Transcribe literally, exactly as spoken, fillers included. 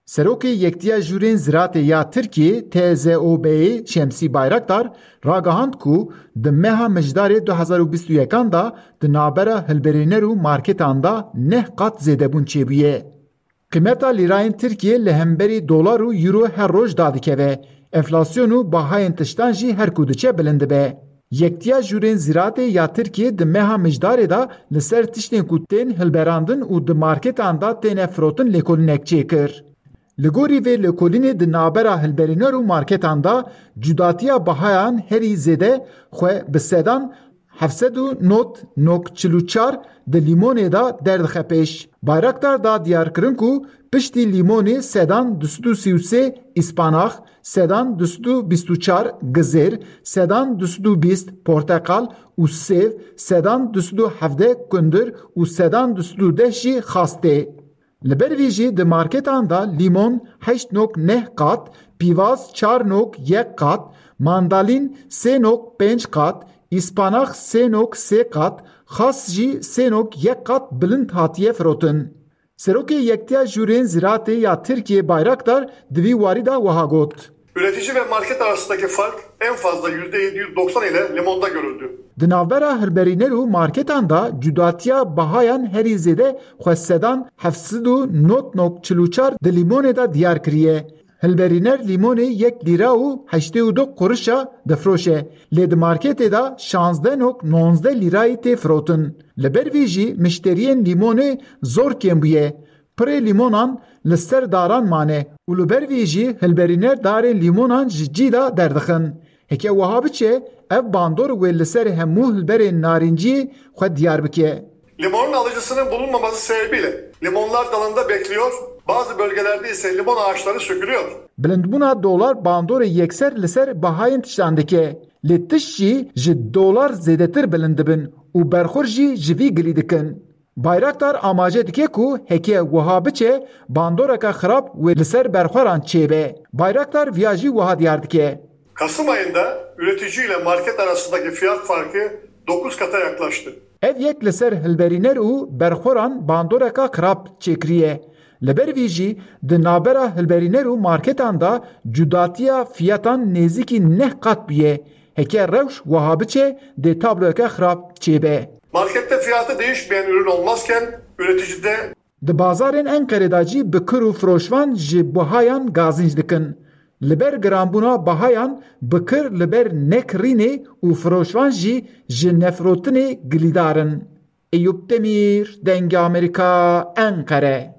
Serokê Yektiya Jûrên Ziratê ya Tirkiyê, T Z O B'yê Şemsî Bayraktar ragihand ku di meha Mijdarê du hezar û bîst û yekan de di navbera hilberîner û marketan de neh qat zêdebûn çêbûye. Qîmeta lîrayên Tirkiyê li hemberî dolar û euro her roj dadikeve. Enflasyon û bahayên tiştan jî her ku diçe bilind dibe. Yektiya Jûrên Zîratê ya Tirkiyê di meha Mijdarê de li ser tiştên ku tên hilberandin û di marketan de têne firotin lêkolînek çêkir. Li gorî vê lêkolînê di navbera hilberîner û marketan de cudatiya bahayan herî zêde xwe bi sedan heft sed û nod nokta çil û çar di lîmonê de derdixe pêş. Bayraktar da diyarkirin ku piştî lîmonê sedan du sed û sî û sê îspanax, sedan du sed û bîst û çar gizêr, sedan du sed û bîst porteqal û sêv, sedan du sed û hevdeh kundir û sedan du sed û deh jî xas tê. Li ber vî jî di marketan de lîmon heşt nok neh qat, pîvaz çar nok yek qat, mandalîn sê nok pênc qat, îspanax sê nok sê qat, xas jî sê nok yek qat bilind hatiye firotin. Serokê Yektiya Jûrên Zîratê ya Tirkiyê Bayraktar di vî warî de wiha got. Üretici ve market arasındaki fark en fazla yüzde yedi yüz doksan ile limonda görüldü. Di navbera hilberîner û marketan de cudatiya bahayan herî zêde xwe sedan heft sed û nod nok çil û çar di lîmonê de diyar kiriye. Hilberîner lîmonê yek lîra û heştê û du qurişa difiroşe, lê di marketê de şazdeh nok nonzdeh lîrayî tê firotin. Li ber vî jî mişteriyên lîmonê zor kêm bûye. Pirê lîmonan li ser daran mane û li ber vî jî hilberîner darên lîmonan ji cî de derdixin. Heke wiha biçe, ev bandor wê li ser hemû hilberên narînciyê xwe diyar bike. Limonun alıcısının bulunmaması sebebiyle limonlar dalında bekliyor, bazı bölgelerde ise limon ağaçları sökülüyor. Bilindbûna dolar bandorê yekser li ser bahayên tiştan dike. Lê tişt jî ji dolar zêdetir bilind dibin û berxwer jî ji vî gilî dikin. Bayraktar amaje dike ku heke wiha biçe, bandoreke xirab wê li ser berxweran çêbe. Bayraktar viya jî wiha diyar dike. Kasım ayında üretici ile market arasındaki fiyat farkı dokuz kata yaklaştı. Ev yek li ser hilberîner û berxweran bandoreka xirab çêkiriye. Li ber vî jî di navbera hilberîner û marketan de cudatiya fiyatan nêzîkî neh qat bûye. Heke rewş wiha biçe, dê tabloyeke xirab çêbe. Markette fiyatı değişmeyen ürün olmazken üreticide Di bazarên Enqerê de jî bikir û firoşvan ji buhayan gazinc dikin. Li ber giranbûna bahayan bikir li ber nekirînê û firoşvan jî ji nefirotinê gilîdar in. Eyûp Demîr, Dengê Amerîka, Enqere.